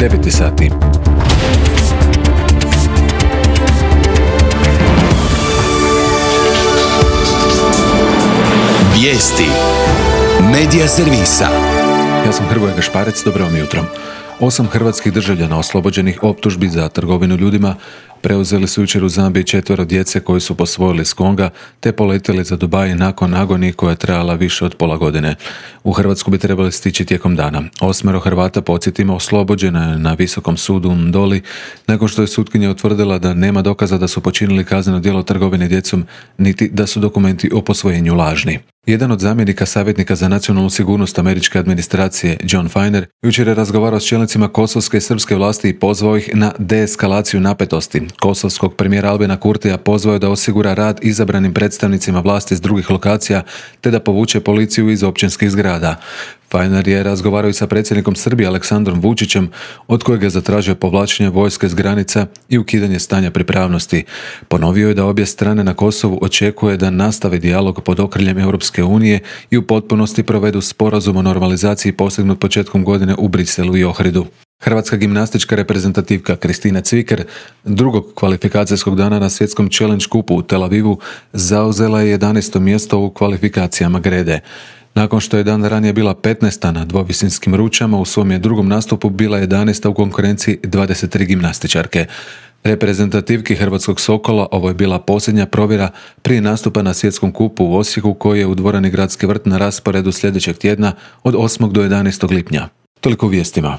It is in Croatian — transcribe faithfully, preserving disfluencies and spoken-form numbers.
deveti sati. Vijesti Medija servisa. Ja sam Hrvoje Gašparec, dobro vam jutro. Osam hrvatskih državljana oslobođenih optužbi za trgovinu ljudima preuzeli su jučer u Zambiji četvero djece koji su posvojili s Konga te poletjeli za Dubai nakon agonije koja je trajala više od pola godine. U Hrvatsku bi trebali stići tijekom dana. Osmero Hrvata, podsjetimo, oslobođena je na Visokom sudu u Ndoli nakon što je sutkinja utvrdila da nema dokaza da su počinili kazneno djelo trgovine djecom niti da su dokumenti o posvojenju lažni. Jedan od zamjenika savjetnika za nacionalnu sigurnost američke administracije, John Feiner, jučer je razgovarao s čelnicima kosovske i srpske vlasti i pozvao ih na deeskalaciju napetosti. Kosovskog premijera Albina Kurtija pozvao je da osigura rad izabranim predstavnicima vlasti iz drugih lokacija te da povuče policiju iz općinskih zgrada. Feiner je razgovarao i sa predsjednikom Srbije Aleksandrom Vučićem, od kojeg je zatražio povlačenje vojske s granica i ukidanje stanja pripravnosti. Ponovio je da obje strane na Kosovu očekuje da nastave dijalog pod okriljem Europske unije i u potpunosti provedu sporazum o normalizaciji postignut početkom godine u Briselu i Ohridu. Hrvatska gimnastička reprezentativka Kristina Cviker drugog kvalifikacijskog dana na svjetskom Challenge kupu u Tel Avivu zauzela je jedanaesto mjesto u kvalifikacijama grede. Nakon što je dan ranije bila petnaesta na dvovisinskim ručama, u svom je drugom nastupu bila jedanaesta u konkurenciji dvadeset tri gimnastičarke. Reprezentativki Hrvatskog Sokola ovo je bila posljednja provjera prije nastupa na svjetskom kupu u Osijeku koji je u dvorani Gradski vrt na rasporedu sljedećeg tjedna od osmog do jedanaestog lipnja. Toliko u vijestima.